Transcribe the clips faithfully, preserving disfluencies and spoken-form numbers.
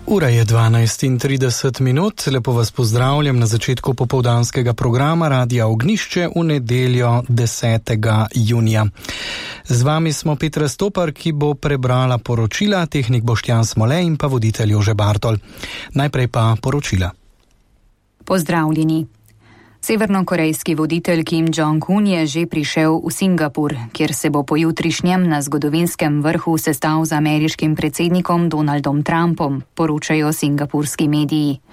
Ura je dvanajst in trideset minut, lepo vas pozdravljam na začetku popoldanskega programa Radia Ognjišče v nedeljo desetega junija. Z vami smo Petra Stopar, ki bo prebrala poročila, tehnik Boštjan Smole in pa voditelj Jože Bartol. Najprej pa poročila. Pozdravljeni. Severnokorejski voditelj Kim Jong-un je že prišel v Singapur, kjer se bo pojutrišnjem na zgodovinskem vrhu sestal z ameriškim predsednikom Donaldom Trumpom, poročajo singapurski mediji.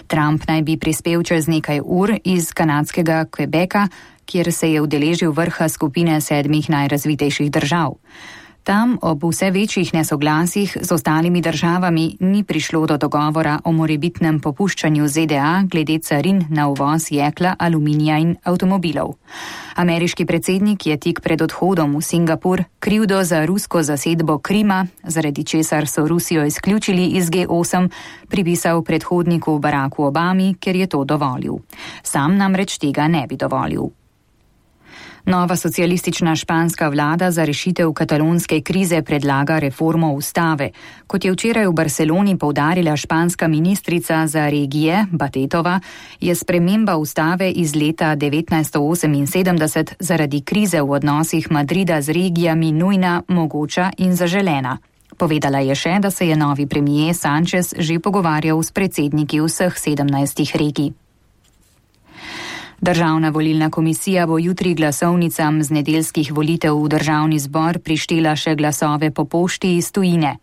Trump naj bi prispel čez nekaj ur iz kanadskega Quebeca, kjer se je udeležil vrha skupine sedmih najrazvitejših držav. Tam ob vse večjih nesoglasjih z ostalimi državami ni prišlo do dogovora o morebitnem popuščanju Z D A glede carin na uvoz jekla, aluminija in avtomobilov. Ameriški predsednik je tik pred odhodom v Singapur krivdo za rusko zasedbo Krima, zaradi česar so Rusijo izključili iz G osem, pripisal predhodniku Baracku Obami, ker je to dovolil. Sam namreč tega ne bi dovolil. Nova socialistična španska vlada za rešitev katalonske krize predlaga reformo ustave. Kot je včeraj v Barceloni poudarila španska ministrica za regije Batetova, je sprememba ustave iz leta devetnajststo oseminsedemdeset zaradi krize v odnosih Madrida z regijami nujna, mogoča in zaželena. Povedala je še, da se je novi premier Sanchez že pogovarjal s predsedniki vseh sedemnajstih regij. Državna volilna komisija bo jutri glasovnicam z nedeljskih volitev v državni zbor prištela še glasove po pošti iz tujine.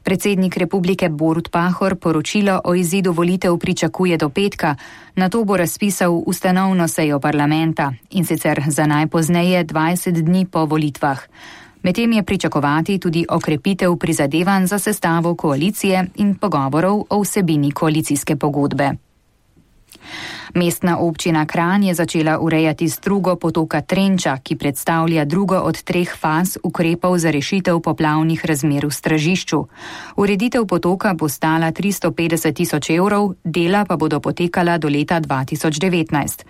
Predsednik republike Borut Pahor poročilo o izidu volitev pričakuje do petka, nato bo razpisal ustanovno sejo parlamenta in sicer za najpozneje dvajset dni po volitvah. Medtem je pričakovati tudi okrepitev prizadevanj za sestavo koalicije in pogovorov o vsebini koalicijske pogodbe. Mestna občina Kranj je začela urejati strugo potoka Trenča, ki predstavlja drugo od treh faz ukrepov za rešitev poplavnih razmer v Stražišču. Ureditev potoka bo stala tristo petdeset tisoč evrov, dela pa bodo potekala do leta dva tisoč devetnajst.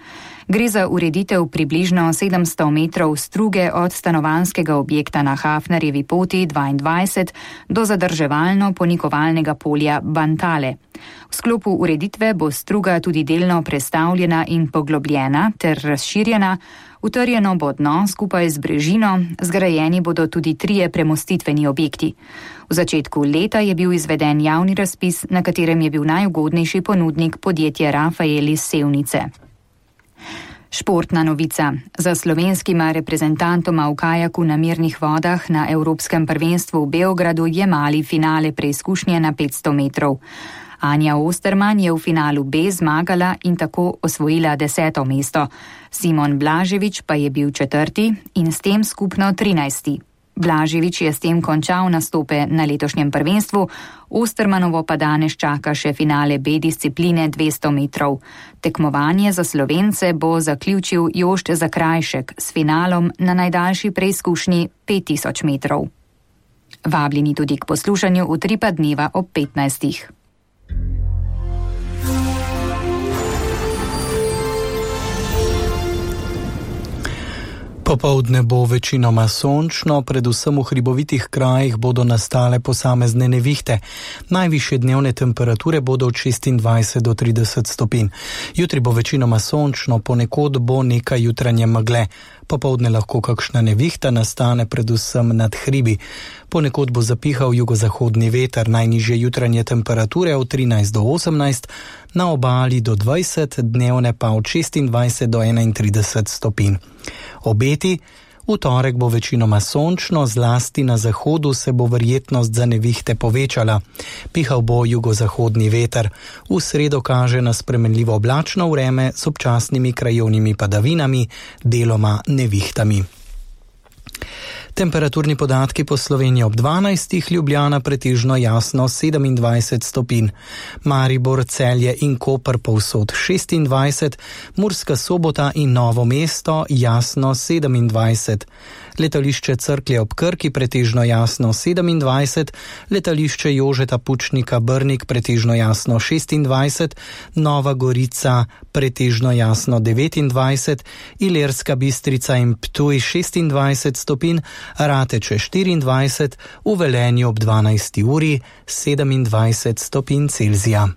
Gre za ureditev približno sedemsto metrov struge od stanovanjskega objekta na Hafnerjevi poti dvaindvajset do zadrževalno-ponikovalnega polja Bantale. V sklopu ureditve bo struga tudi delno prestavljena in poglobljena ter razširjena, utrjeno bo dno skupaj z brežino, zgrajeni bodo tudi trije premostitveni objekti. V začetku leta je bil izveden javni razpis, na katerem je bil najugodnejši ponudnik podjetje Rafael iz Sevnice. Športna novica. Za slovenskima reprezentantoma v kajaku na mirnih vodah na Evropskem prvenstvu v Beogradu je mali finale preizkušnje na petsto metrov. Anja Osterman je v finalu B zmagala in tako osvojila deseto mesto. Simon Blaževič pa je bil četrti in s tem skupno trinajsti. Blaževič je s tem končal nastope na letošnjem prvenstvu, Ostermanovo pa danes čaka še finale B discipline dvesto metrov. Tekmovanje za Slovence bo zaključil Jošt Zakrajšek s finalom na najdaljši preizkušnji pet tisoč metrov. Vabljeni tudi k poslušanju Utripa dneva ob petnajstih. Popoldne bo večinoma sončno, predvsem v hribovitih krajih bodo nastale posamezne nevihte. Najvišje dnevne temperature bodo od šestindvajset do trideset stopinj. Jutri bo večinoma sončno, ponekod bo nekaj jutranje megle. Popoldne lahko kakšna nevihta nastane predvsem nad hribi. Ponekod bo zapihal jugozahodni veter, najnižje jutranje temperature od trinajst do osemnajst, na obali do dvajset, dnevne pa od šestindvajset do enaintrideset stopinj. Obeti. V torek bo večinoma sončno, zlasti na zahodu se bo verjetnost za nevihte povečala. Pihal bo jugozahodni veter. V sredo kaže na spremenljivo oblačno vreme s občasnimi krajevnimi padavinami, deloma nevihtami. Temperaturni podatki po Sloveniji ob dvanajstih, Ljubljana pretežno jasno sedemindvajset stopinj, Maribor, Celje in Koper povsod šestindvajset, Murska Sobota in Novo mesto jasno sedemindvajset. Letališče Cerklje ob Krki pretežno jasno sedemindvajset, letališče Jožeta Pučnika Brnik pretežno jasno šestindvajset, Nova Gorica pretežno jasno devetindvajset, Ilirska Bistrica in Ptuj šestindvajset stopinj, Rateče štiriindvajset, v Velenju ob dvanajsti uri sedemindvajset stopinj Celzija.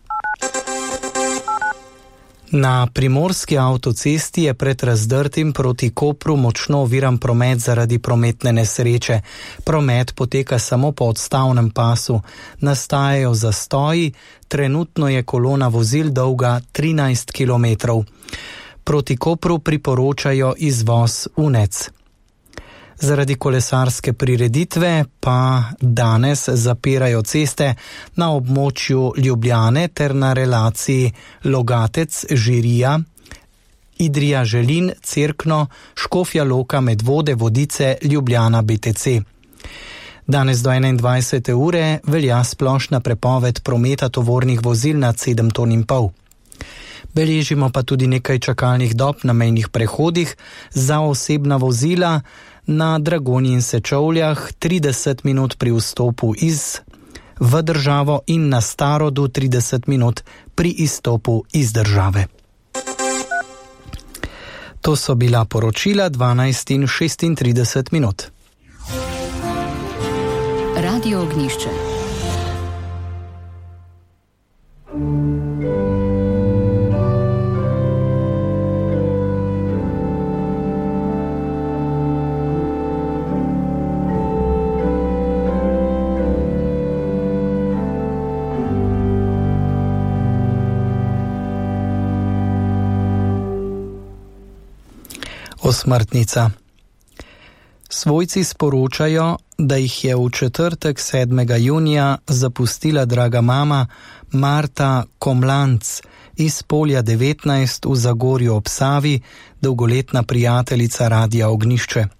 Na primorski avtocesti je pred Razdrtim proti Kopru močno oviran promet zaradi prometne nesreče. Promet poteka samo po odstavnem pasu. Nastajajo zastoji, trenutno je kolona vozil dolga trinajst kilometrov. Proti Kopru priporočajo izvoz Unec. Zaradi kolesarske prireditve pa danes zapirajo ceste na območju Ljubljane ter na relaciji Logatec-Žirija, Idrija-Želin, Cerkno, Škofja Loka, Medvode, Vodice, Ljubljana, B T C. Danes do enaindvajsete ure velja splošna prepoved prometa tovornih vozil nad sedem ton in pol. Beležimo pa tudi nekaj čakalnih dob na mejnih prehodih za osebna vozila na Dragonji in Sečovljah, trideset minut pri vstopu iz v državo in na Starodu trideset minut pri izstopu iz države. To so bila poročila dvanajst in šestintrideset minut. Radio Ognjišče. Osmrtnica. Svojci sporočajo, da jih je v četrtek sedmega junija zapustila draga mama Marta Komlanc iz Polja devetnajst v Zagorju ob Savi, dolgoletna prijateljica Radia Ognjišče.